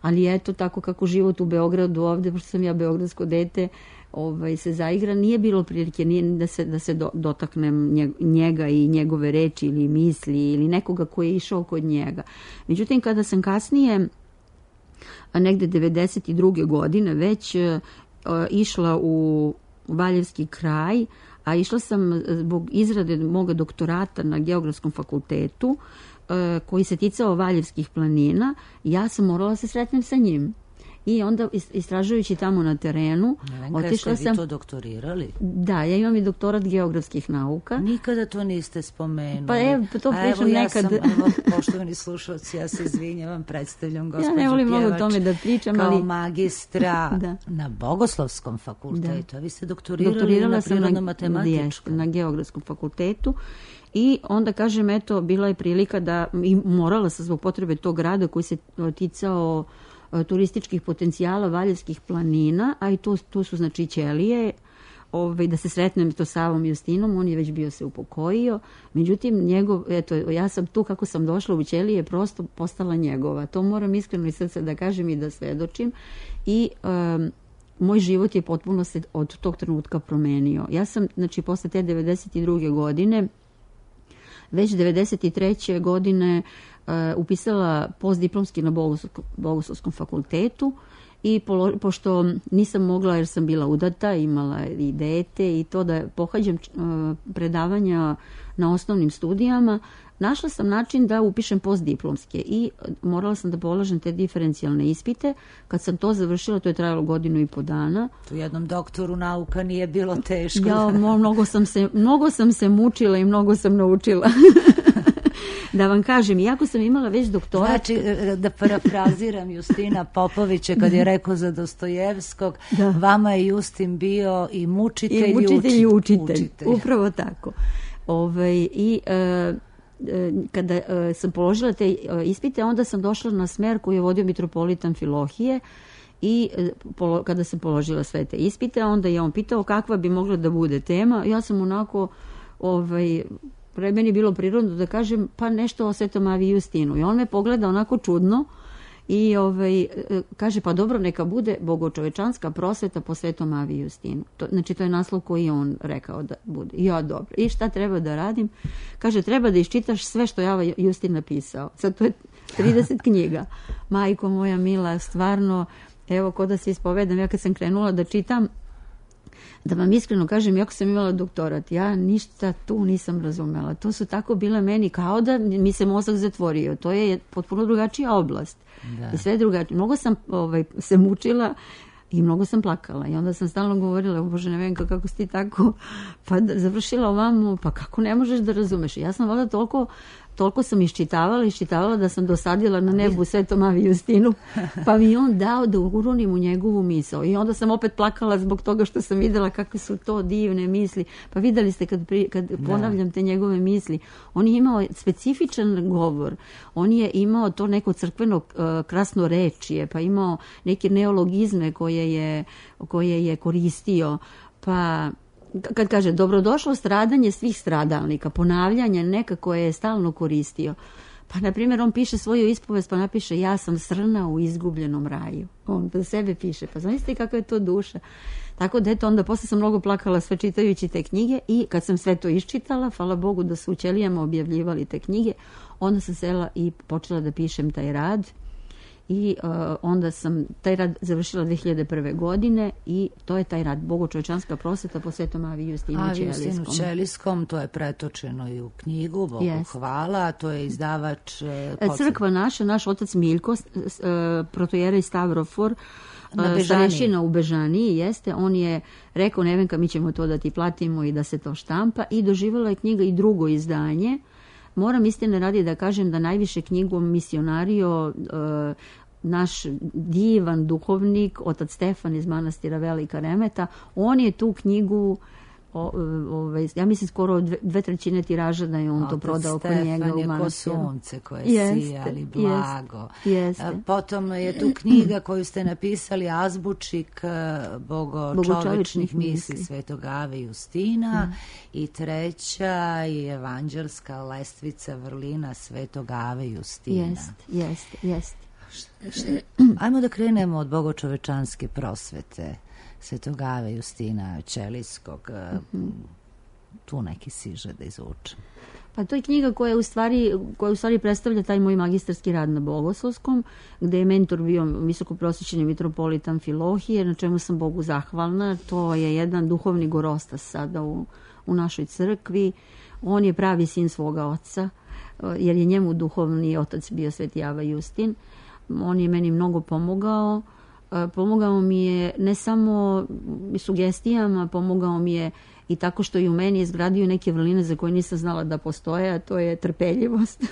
ali eto, tako kako život u Beogradu ovde, pošto sam ja beogradsko dete, ovaj, se zaigra, nije bilo prilike nije da se, da se do, dotaknem njega i njegove reči ili misli ili nekoga ko je išao kod njega. Međutim, kada sam kasnije, negde devedeset druge godine, već uh, išla u Valjevski kraj, a išla sam zbog izrade moga doktorata na Geografskom fakultetu, uh, koji se ticao Valjevskih planina, ja sam morala se sretnem sa njim. I onda istražujući tamo na terenu, Nevenka, otišla sam... Jeste vi to doktorirali? Da, ja imam i doktorat geografskih nauka. Nikada to niste spomenuli. Pa evo, to pričam evo, ja nekad. Sam, evo, poštovani slušalci, ja se izvinjavam, predstavljam gospođu Pjevač. Ja ne volim Pjevač, mnogo o tome da pričam, kao ali... magistra da. na Bogoslovskom fakultetu. Da. A vi ste doktorirali Doktorirala na na, prirodno-matematičkom. na geografskom fakultetu. I onda, kažem, eto, bila je prilika da, i morala sam zbog potrebe tog grada koji se ticao turističkih potencijala Valjevskih planina, a i to, to su znači ćelije, ovaj, da se sretnem to sa Avom Justinom, on je već bio se upokojio, međutim, njegov, eto, ja sam tu kako sam došla u ćelije, prosto postala njegova. To moram iskreno iz srca da kažem i da svedočim. I um, moj život je potpuno se od tog trenutka promenio. Ja sam, znači, posle te devedeset druge godine, već devedeset treće godine uh, upisala postdiplomski na Bogoslovskom fakultetu i polo, pošto nisam mogla jer sam bila udata, imala i dete i to da pohađam uh, predavanja na osnovnim studijama, našla sam način da upišem postdiplomske i morala sam da polažem te diferencijalne ispite. Kad sam to završila, to je trajalo godinu i po dana. Tu jednom doktoru nauka nije bilo teško. Ja, mnogo sam se, mnogo sam se mučila i mnogo sam naučila. Da vam kažem, iako sam imala već doktorat... Znači, da parafraziram Justina Popovića kad je rekao za Dostojevskog, da. Vama je Justin bio i mučitelj i, mučitelj, i, i učitelj. učitelj. Upravo tako. Ove, I e, kada e, sam položila te ispite, onda sam došla na smer koji je vodio mitropolit Amfilohije i e, polo, kada sam položila sve te ispite, onda je on pitao kakva bi mogla da bude tema. Ja sam onako... Ovaj, pre meni bilo prirodno da kažem pa nešto o Svetom Avi Justinu. I on me pogleda onako čudno i ovaj, kaže pa dobro neka bude bogočovečanska prosveta po Svetom Avi Justinu. To, znači to je naslov koji je on rekao da bude. Ja dobro. I šta treba da radim? Kaže treba da iščitaš sve što je Ava Justin napisao. Sad to je trideset knjiga. Majko moja mila, stvarno, evo ko da se ispovedam, ja kad sam krenula da čitam, da vam iskreno kažem, iako sam imala doktorat, ja ništa tu nisam razumela. To su tako bile meni kao da mi se mozak zatvorio. To je potpuno drugačija oblast. Da. I sve drugačije. Mnogo sam ovaj, se mučila i mnogo sam plakala. I onda sam stalno govorila, Bože, Nevenka, kako si ti tako pa završila ovamo, pa kako ne možeš da razumeš. I ja sam valjda toliko toliko sam iščitavala, iščitavala da sam dosadila na nebu Svetom Avi Justinu, pa mi on dao da uronim u njegovu misao. I onda sam opet plakala zbog toga što sam videla kakve su to divne misli. Pa videli ste kad, pri, kad ponavljam te njegove misli, on je imao specifičan govor, on je imao to neko crkveno uh, krasno rečije, pa imao neke neologizme koje je, koje je koristio, pa... Kad kaže dobrodošlo stradanje svih stradalnika, ponavljanje nekako je stalno koristio. Pa, na primjer, on piše svoju ispovest, pa napiše ja sam srna u izgubljenom raju. On za sebe piše, pa zamislite kakva je to duša. Tako da, eto, onda posle sam mnogo plakala sve čitajući te knjige i kad sam sve to iščitala, hvala Bogu da su u ćelijama objavljivali te knjige, onda sam sela i počela da pišem taj rad. I uh, onda sam taj rad završila dve hiljade prve. godine i to je taj rad Bogočovečanska prosveta po Svetom Avi Justinu Avi Ćelijskom. Justinu Ćelijskom, to je pretočeno i u knjigu, Bogu yes. hvala, to je izdavač... Uh, Crkva naša, naš otac Miljko, uh, protojerej Stavrofor, uh, starešina u Bežaniji, jeste, on je rekao, Nevenka, mi ćemo to da ti platimo i da se to štampa, i doživjela je knjiga i drugo izdanje. Moram istine radi da kažem da najviše knjigom misionario uh, naš divan duhovnik, otac Stefan iz manastira Velika Remeta, on je tu knjigu, o, o, ja mislim skoro dve, dve trećine tiraža da je on otac to prodao kod njega u manastiru. Stefan je ko sunce koje jeste, sijali blago. Jeste, jeste. Potom je tu knjiga koju ste napisali, Azbučik bogočovečnih misli Svetog Ave Justina, mm. i treća je evanđelska lestvica vrlina Svetog Ave Justina. Jeste, jeste, jeste. Ajmo da krenemo od bogočovečanske prosvete Svetog Ave Justina Ćelijskog. Mm-hmm. Tu neki siže da izvučem. Pa to je knjiga koja u stvari, koja u stvari predstavlja taj moj magistarski rad na Bogoslovskom, gde je mentor bio visokoprosvećeni mitropolit Amfilohije, na čemu sam Bogu zahvalna. To je jedan duhovni gorostas sada u, u našoj crkvi. On je pravi sin svoga oca, jer je njemu duhovni otac bio Sveti Ava Justin. On je meni mnogo pomogao. Pomogao mi je ne samo sugestijama, pomogao mi je i tako što je u meni izgradio neke vrline za koje nisam znala da postoje, a to je trpeljivost.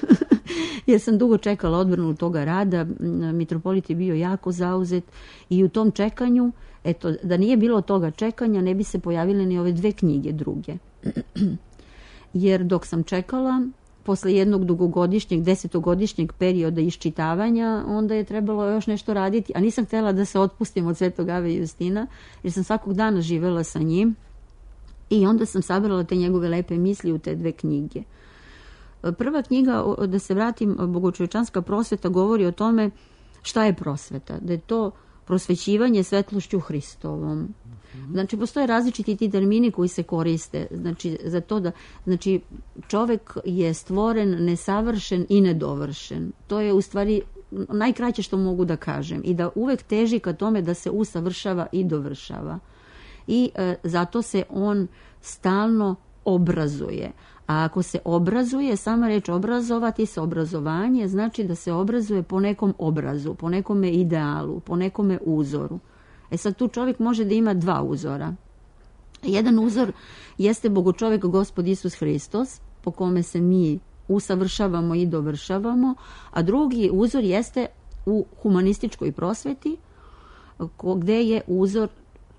Jer sam dugo čekala odbranu toga rada, mitropolit je bio jako zauzet i u tom čekanju, eto, da nije bilo toga čekanja, ne bi se pojavile ni ove dve knjige druge. Jer dok sam čekala, posle jednog dugogodišnjeg, desetogodišnjeg perioda iščitavanja, onda je trebalo još nešto raditi, a nisam htjela da se otpustim od Svetog Ave Justina, jer sam svakog dana živela sa njim i onda sam sabrala te njegove lepe misli u te dve knjige. Prva knjiga, da se vratim, Bogočovečanska prosveta, govori o tome šta je prosveta, da je to prosvećivanje svetlošću Hristovom. Znači, postoje različiti ti termini koji se koriste. Znači, za to da, znači, čovek je stvoren, nesavršen i nedovršen. To je u stvari najkraće što mogu da kažem. I da uvek teži ka tome da se usavršava i dovršava. I e, zato se on stalno obrazuje. A ako se obrazuje, sama reč obrazovati se, obrazovanje, znači da se obrazuje po nekom obrazu, po nekome idealu, po nekome uzoru. E sad tu čovjek može da ima dva uzora. Jedan uzor jeste Bogočovek Gospod Isus Hristos, po kome se mi usavršavamo i dovršavamo, a drugi uzor jeste u humanističkoj prosveti, gde je uzor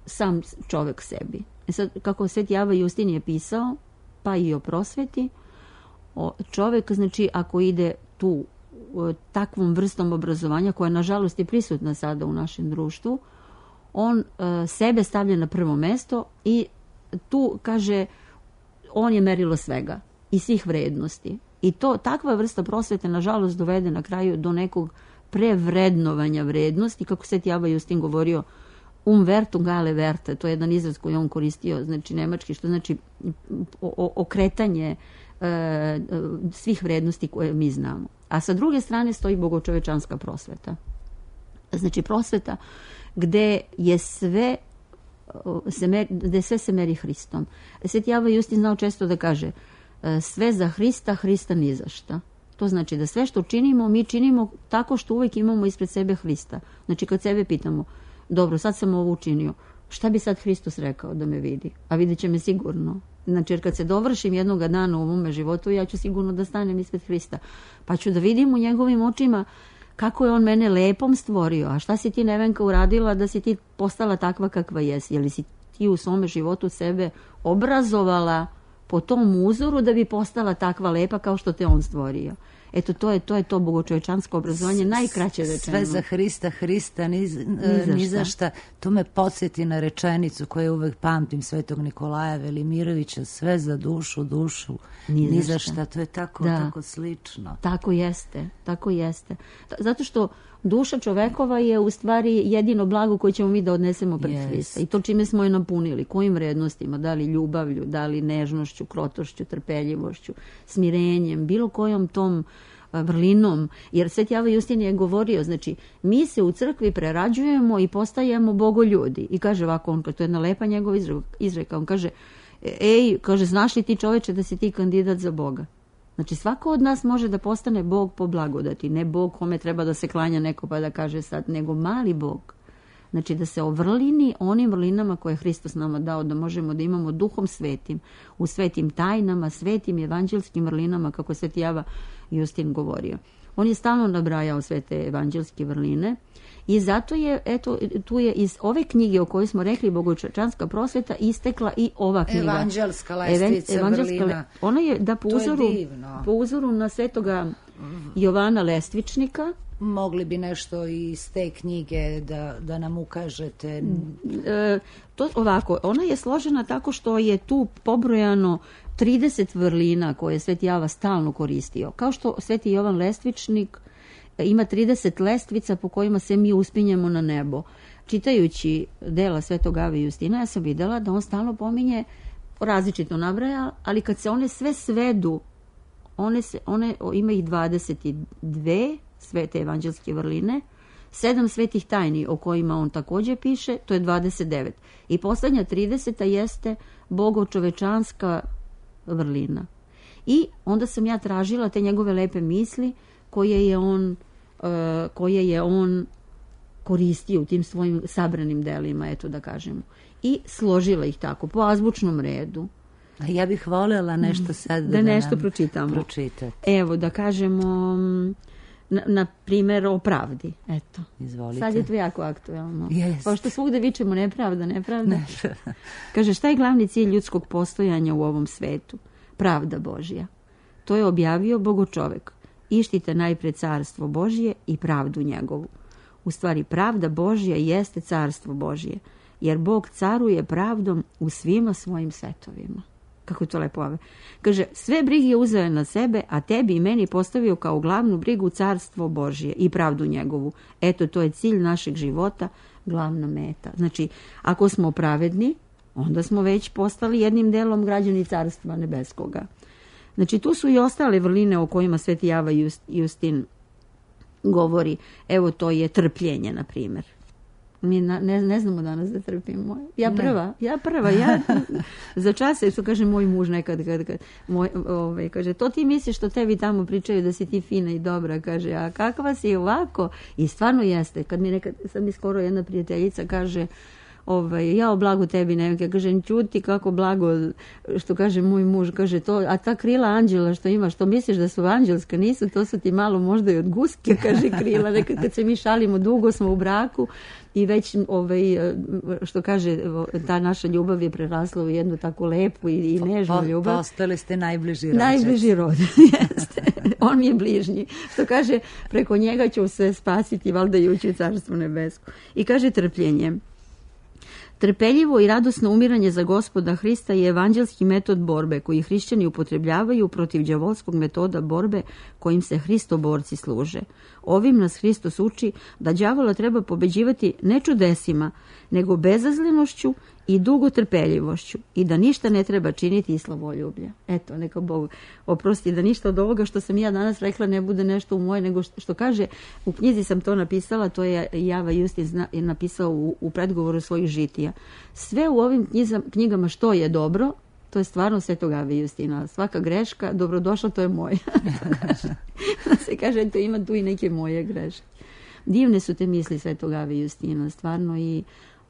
sam čovjek sebi. E sad, kako Sveti Ava Justin je pisao, pa i o prosveti, čovjek, znači, ako ide tu takvom vrstom obrazovanja, koja nažalost je prisutna sada u našem društvu, on uh, sebe stavlja na prvo mesto i tu, kaže, on je merilo svega i svih vrednosti. I to, takva vrsta prosvete, nažalost, dovede na kraju do nekog prevrednovanja vrednosti, kako Sveti Ava Justin govorio, um vertung alle werte, to je jedan izraz koji on koristio, znači nemački, što znači o, okretanje e, svih vrednosti koje mi znamo. A sa druge strane stoji bogočovečanska prosveta. Znači prosveta gde je sve se meri, gde sve se meri Hristom. Sveti Ava Justin znao često da kaže sve za Hrista, Hrista ni za šta. To znači da sve što činimo, mi činimo tako što uvijek imamo ispred sebe Hrista. Znači kad sebe pitamo, dobro, sad sam ovo učinio, šta bi sad Hristos rekao da me vidi? A vidjet će me sigurno. Znači, jer kad se dovršim jednoga dana u ovome životu, ja ću sigurno da stanem ispred Hrista. Pa ću da vidim u njegovim očima kako je on mene lepom stvorio. A šta si ti, Nevenka, uradila da si ti postala takva kakva jesi? Je li si ti u svome životu sebe obrazovala po tom uzoru da bi postala takva lepa kao što te on stvorio? Eto, to je to, je to bogočovečansko obrazovanje, najkraće rečeno. Sve za Hrista, Hrista, ni, ni za šta. To me podsjeti na rečenicu koju uvek pamtim Svetog Nikolaja Velimirovića, sve za dušu, dušu, ni, ni za šta. To je tako, da. tako slično. Tako jeste, tako jeste. Zato što duša čovekova je u stvari jedino blago koje ćemo mi da odnesemo pred yes. Hrista. I to čime smo je napunili, kojim vrednostima, da li ljubavlju, da li nežnošću, krotošću, trpeljivošću, smirenjem, bilo kojom tom vrlinom. Jer Sveti Java Justin je govorio, znači, mi se u crkvi prerađujemo i postajemo bogoljudi. I kaže ovako, on, to je jedna lepa njegova izreka, on kaže, ej, kaže, znaš li ti čoveče da si ti kandidat za Boga? Znači, svako od nas može da postane Bog po blagodati, ne Bog kome treba da se klanja neko pa da kaže sad, nego mali Bog. Znači, da se ovrlini onim vrlinama koje je Hristos nama dao, da možemo da imamo duhom svetim, u svetim tajnama, svetim evanđelskim vrlinama, kako Sveti Java Justin govorio. On je stalno nabrajao sve te evanđelske vrline i zato je, eto, tu je iz ove knjige o kojoj smo rekli Bogočovečanska prosveta istekla i ova knjiga. Evanđelska lestvica Evanđelska vrlina. Ona je, da po uzoru, po uzoru na Svetoga Jovana Lestvičnika. Mogli bi nešto iz te knjige da, da nam ukažete? E, to ovako, ona je složena tako što je tu pobrojano trideset vrlina koje je Sveti Java stalno koristio. Kao što Sveti Jovan Lestvičnik ima trideset lestvica po kojima se mi uspinjemo na nebo. Čitajući dela Svetog Ave Justina, ja sam videla da on stalno pominje, različito nabraja, ali kad se one sve svedu, one, se, one ima ih dvadeset dve svete evanđelske vrline, sedam svetih tajni o kojima on također piše, to je dvadeset devet. I poslednja trideseta jeste bogočovečanska vrlina. I onda sam ja tražila te njegove lepe misli koje je on, uh, koje je on koristio u tim svojim sabranim delima, eto da kažemo. I složila ih tako, po azbučnom redu. A ja bih voljela nešto sad da, da nešto nam pročitamo. Pročitate. Evo, da kažemo, na, na primjer o pravdi. Eto. Izvolite. Sad je to jako aktuelno. Jest. Pošto svugde vičemo nepravda, nepravda. Ne. Kaže, šta je glavni cilj ljudskog postojanja u ovom svetu? Pravda Božja. To je objavio Bogočovek. Ištite najpred carstvo Božje i pravdu njegovu. U stvari, pravda Božja jeste carstvo Božje, jer Bog caruje pravdom u svima svojim svetovima. Kako je to lepo ove. Kaže, sve brige uzeo je na sebe, a tebi i meni postavio kao glavnu brigu carstvo Božje i pravdu njegovu. Eto, to je cilj našeg života, glavna meta. Znači, ako smo pravedni, onda smo već postali jednim delom građani carstva nebeskoga. Znači, tu su i ostale vrline o kojima Sveti Java Justin govori. Evo, to je trpljenje, na primjer. Mi na, ne, ne znamo danas da trpimo. Ja prva, ne. ja prva, ja za čase, što kaže moj muž nekad, kad, kad, moj, ovaj, kaže, to ti misliš što tebi tamo pričaju da si ti fina i dobra, kaže, a kakva si ovako? I stvarno jeste. Kad mi nekad, sad mi skoro jedna prijateljica kaže, ovaj, ja o blagu tebi ne, kaže, čuti kako blago, što kaže moj muž, kaže to, a ta krila anđela što imaš, što misliš da su anđelska, nisu, to su ti malo možda i od guske, kaže krila, nekad kad se mi šalimo, dugo smo u braku i već, ovaj, što kaže, ta naša ljubav je prerasla u jednu tako lepu i, i nežnu ljubav. Postali ste najbliži rođac. Najbliži rođac, jeste. On mi je bližnji. Što kaže, preko njega ću se spasiti, valjda i ući u carstvo nebesko. I kaže trpljenje. Trpeljivo i radosno umiranje za Gospoda Hrista je evanđelski metod borbe koji hrišćani upotrebljavaju protiv đavolskog metoda borbe kojim se hristoborci služe. Ovim nas Hristos uči da đavola treba pobeđivati ne čudesima, nego bezazlenošću i dugotrpeljivošću i da ništa ne treba činiti iz slavoljublja. Eto, neka Bog oprosti da ništa od ovoga što sam ja danas rekla ne bude nešto u moje, nego što, što kaže, u knjizi sam to napisala, to je Java Justin zna, je napisao u, u predgovoru svojih žitija. Sve u ovim knjizam, knjigama što je dobro, to je stvarno Svetog Ave Justina. Svaka greška, dobrodošla, to je moja. Da se kaže, eto, ima tu i neke moje greške. Divne su te misli Svetog Ave Justina, stvarno, i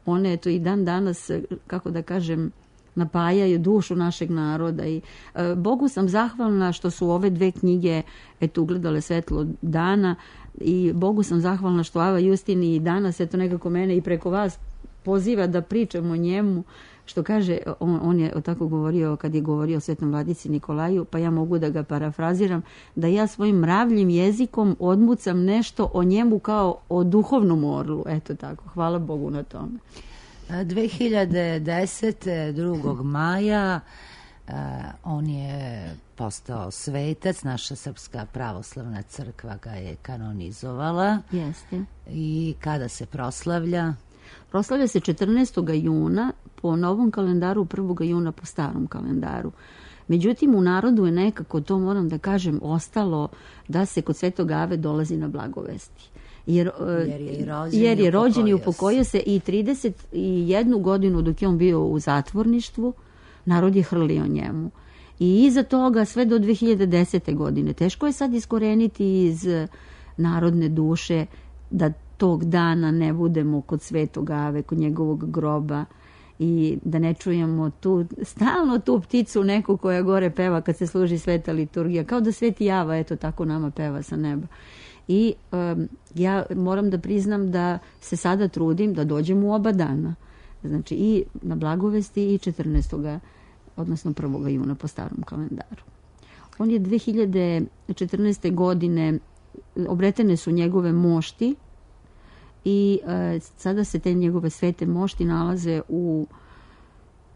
one, eto, i dan danas, kako da kažem, napajaju dušu našeg naroda. I e, Bogu sam zahvalna što su ove dve knjige, eto, ugledale svetlo dana, i Bogu sam zahvalna što Ava Justin i danas, eto, nekako mene i preko vas poziva da pričamo o njemu, što kaže, on, on je tako govorio kad je govorio o Svetom Vladici Nikolaju, pa ja mogu da ga parafraziram, da ja svojim mravljim jezikom odmucam nešto o njemu kao o duhovnom orlu. Eto tako, hvala Bogu na tome. dve hiljade desete. drugog maja uh, on je postao svetac, naša Srpska pravoslavna crkva ga je kanonizovala. Jeste. I kada se proslavlja? Proslavlja se četrnaestog juna po novom kalendaru, prvog juna po starom kalendaru. Međutim, u narodu je nekako, to moram da kažem, ostalo da se kod Svetog Ave dolazi na blagovesti. Jer, jer je rođen, jer je rođen i upokojio upokojio se i trideset jednu godinu dok je on bio u zatvorništvu, narod je hrlio njemu. I iza toga sve do dve hiljade desete. godine. Teško je sad iskoreniti iz narodne duše da tog dana ne budemo kod Svetog Ave, kod njegovog groba i da ne čujemo tu, stalno tu pticu neku koja gore peva kad se služi sveta liturgija. Kao da Sveti Java, eto tako nama peva sa neba. I um, ja moram da priznam da se sada trudim da dođem u oba dana. Znači i na blagovesti i četrnaestog odnosno prvog juna po starom kalendaru. On je dve hiljade četrnaeste. godine, obretene su njegove mošti i e, sada se te njegove svete mošti nalaze u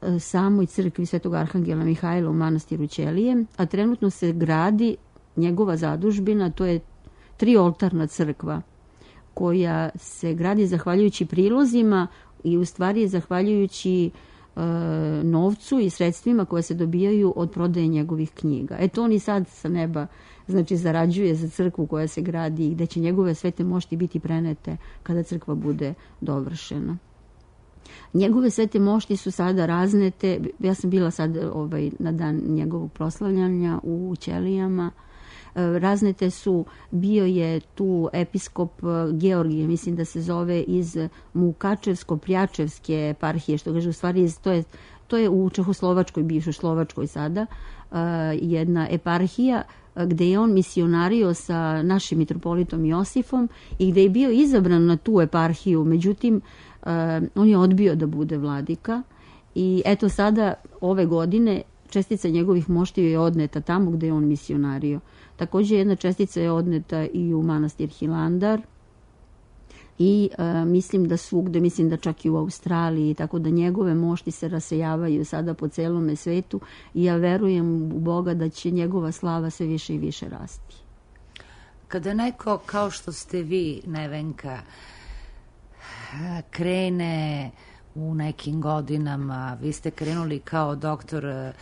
e, samoj crkvi Svetog Arhangela Mihajla u manastiru Ćelije, a trenutno se gradi njegova zadužbina, to je trioltarna crkva koja se gradi zahvaljujući prilozima i u stvari zahvaljujući e, novcu i sredstvima koje se dobijaju od prodaje njegovih knjiga. Eto on i sad sa neba znači zarađuje za crkvu koja se gradi i gde će njegove svete mošti biti prenete kada crkva bude dovršena. Njegove svete mošti su sada raznete, ja sam bila sad ovaj, na dan njegovog proslavljanja u Ćelijama, raznete su, bio je tu episkop Georgije, mislim da se zove iz Mukačevsko-Prjačevske eparhije, što kaže u stvari to je, to je u Čehoslovačkoj, bivšoj Slovačkoj sada, jedna eparhija gde je on misionario sa našim mitropolitom Josifom i gde je bio izabran na tu eparhiju, međutim on je odbio da bude vladika i eto sada ove godine čestica njegovih moštiju je odneta tamo gde je on misionario. Također jedna čestica je odneta i u manastir Hilandar i e, mislim da svugde, mislim da čak i u Australiji, tako da njegove mošti se rasejavaju sada po celome svetu i ja verujem u Boga da će njegova slava sve više i više rasti. Kada neko, kao što ste vi, Nevenka, krene u nekim godinama, vi ste krenuli kao doktor e,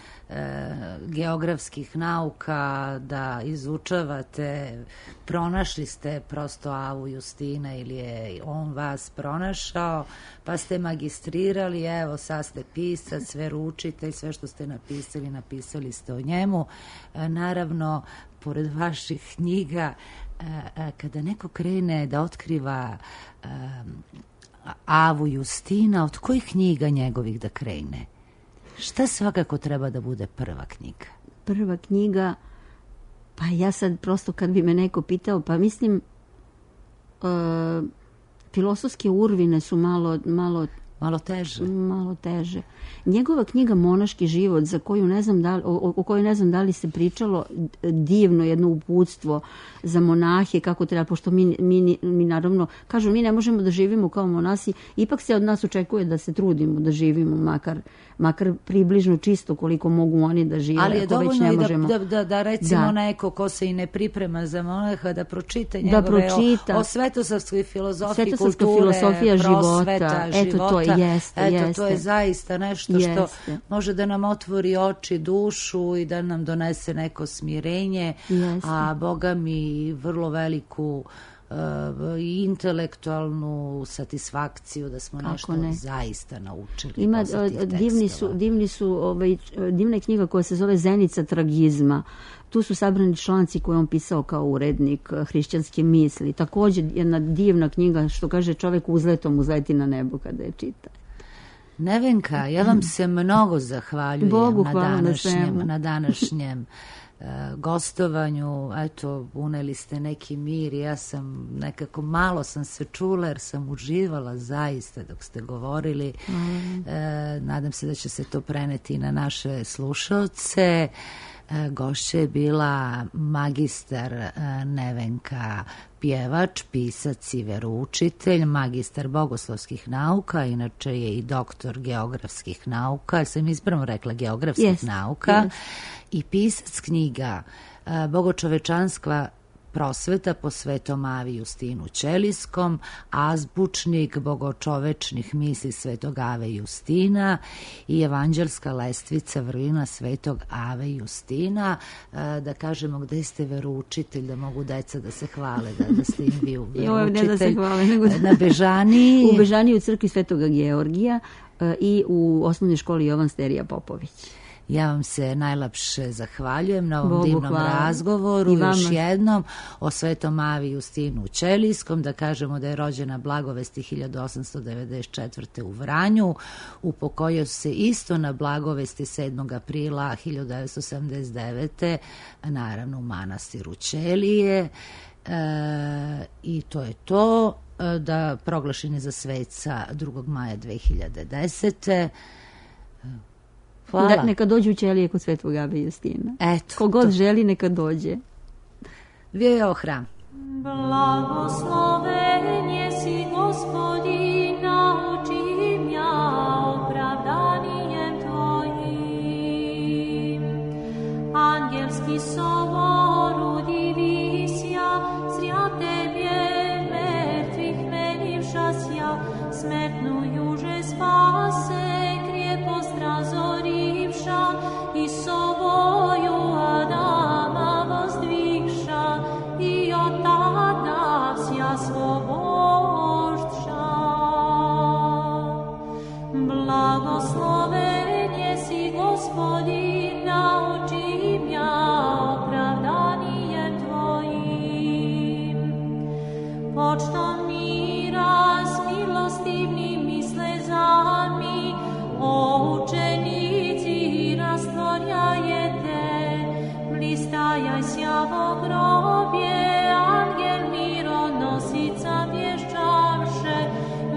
geografskih nauka da izučavate, pronašli ste prosto Avu Justina ili je on vas pronašao, pa ste magistrirali, evo sad ste pisac, veroučitelj, sve što ste napisali, napisali ste o njemu. E, naravno, pored vaših knjiga, e, e, kada neko krene da otkriva e, Avu Justina, od kojih knjiga njegovih da krene? Šta svakako treba da bude prva knjiga? Prva knjiga, pa ja sad prosto kad bi me neko pitao, pa mislim uh, filosofske urvine su malo, malo Malo teže. Malo teže. Njegova knjiga Monaški život, za koju ne znam da li, o, o kojoj ne znam da li se pričalo, divno jedno uputstvo za monahe, kako treba, pošto mi, mi, mi naravno, kažu, mi ne možemo da živimo kao monasi, ipak se od nas očekuje da se trudimo da živimo, makar, makar približno čisto koliko mogu oni da žive. Ali je ako dovoljno već ne i da, možemo. da, da, da recimo da. neko ko se i ne priprema za monaha, da pročita njegove da pročita. o, o svetosavskoj filozofiji, Svetosavska kulture, filosofija prosveta, života. života. Eto to je. Jeste, Eto, jeste. to je zaista nešto jeste. što može da nam otvori oči, dušu i da nam donese neko smirenje, Jeste. a Boga mi vrlo veliku uh, intelektualnu satisfakciju da smo Kako nešto ne. zaista naučili. Ima, divni su, divni su, ovaj, divna je knjiga koja se zove Zenica tragizma. Tu su sabrani članci koje on pisao kao urednik hrišćanske misli. Također jedna divna knjiga, što kaže čovjek uzletom uzleti na nebo kada je čita. Nevenka, ja vam se mnogo zahvaljujem Bogu na hvala današnjem, na na današnjem gostovanju. Eto, uneli ste neki mir i ja sam nekako malo sam se čula jer sam uživala zaista dok ste govorili. Mm. E, nadam se da će se to preneti na naše slušalce. E, gošća je bila magistar e, Nevenka pjevač, pisac i veroučitelj, magistar bogoslovskih nauka, inače je i doktor geografskih nauka, sam ispravno rekla geografskih yes, nauka, yes. I pisac knjiga Bogočovečanstva prosveta po Svetom Avi Justinu Ćelijskom, azbučnik bogočovečnih misli Svetog Ave Justina i evanđelska lestvica vrlina Svetog Ave Justina. Da kažemo gde ste veroučitelj, da mogu deca da se hvale, da, da ste im vi veroučitelj. Ne da se hvale, nego da... Na Bežaniji. U Bežaniji u crkvi Svetoga Georgija i u osnovnoj školi Jovan Sterija Popović. Ja vam se najlepše zahvaljujem na ovom Bogu divnom hvala. razgovoru. Još jednom o Svetom Avi Justinu Ćelijskom, da kažemo da je rođena Blagovesti hiljadu osamsto devedeset četvrte u Vranju, upokojio se isto na Blagovesti sedmog aprila hiljadu devetsto sedamdeset devete naravno u manastiru Ćelije. E, i to je to, da proglašen je za sveca drugog maja dve hiljade desete. Da, neka dođu u Ćelije kod Svetog Ave Justina. Eto, kogod to... želi, neka dođe. Vio hram. Blagoslovenje si Gospodina, učim ja opravdanijem Tvojim. Angelski sovor udivisja, zrja Tebje mrtvih menivšasja, smrtnu juže spase, krijepost razorivša i sovoju Adama vozdvigša i od tada vsja svobožša. Blagoslovenje si Gospodina, učim ja opravdanijem Tvojim. Počtom mira s milostivnim i slezami, o učenici rastvorjajete, blistajaj sjavo grobje, angel mironosica vješćavše,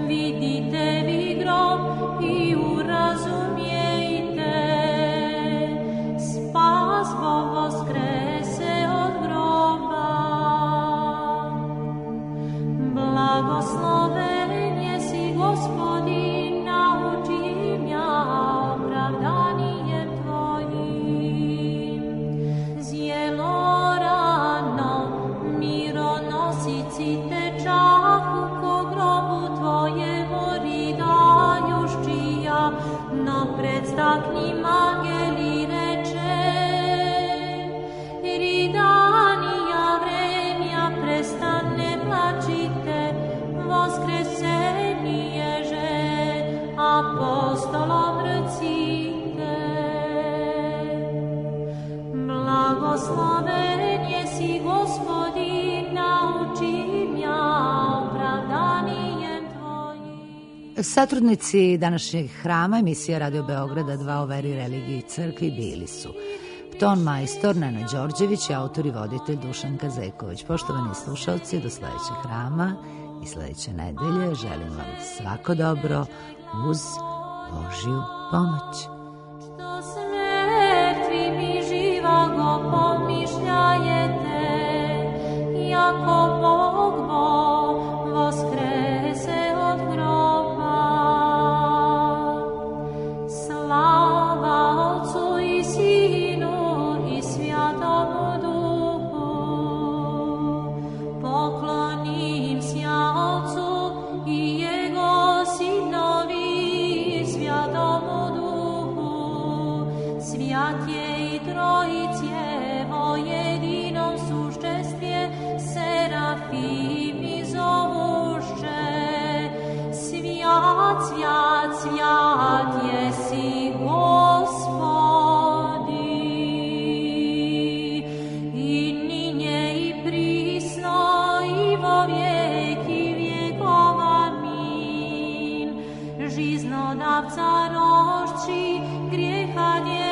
vidite vi grob i urazumijete, spas Bog voskrese od groba. Blagoslovenje si Gospodina, učim ja opravdanijem Tvojim. Zjelo rano mironosici tečahu, ko grobu Tvojemu ridajuščija, no predstakni angeli reče, ridanija vremja prestane plačite, voskresenije že apostolom recite. Blagoslovenje si Gospodina, učim ja opravdanijem Tvojim. Satrudnici današnjeg hrama emisija Radio Beograda dva o veri, religiji i crkvi bili su ton majstor Nena Đorđević i autor i voditelj Dušan Kazeković. Poštovani slušalci, do sledećeg hrama i sledeće nedelje želim vam svako dobro uz Božju pomoć. Što s mrtvim i živogo pomišljajete, jako Bog Bog voskrese od groba. Slava Otcu i Sinu i Svjatomu Duhu, poklonim sja Otcu i Jego Sinovi, Svjatomu Duhu, svjat je i Trojicevo jedinom sušćestvje, serafimi zovuše, svjat, svjat, svjat jesi Gospodi, i ninje i prisno i vo vijeki vjekov, amin. Žiznodavca rošči, grijeha dje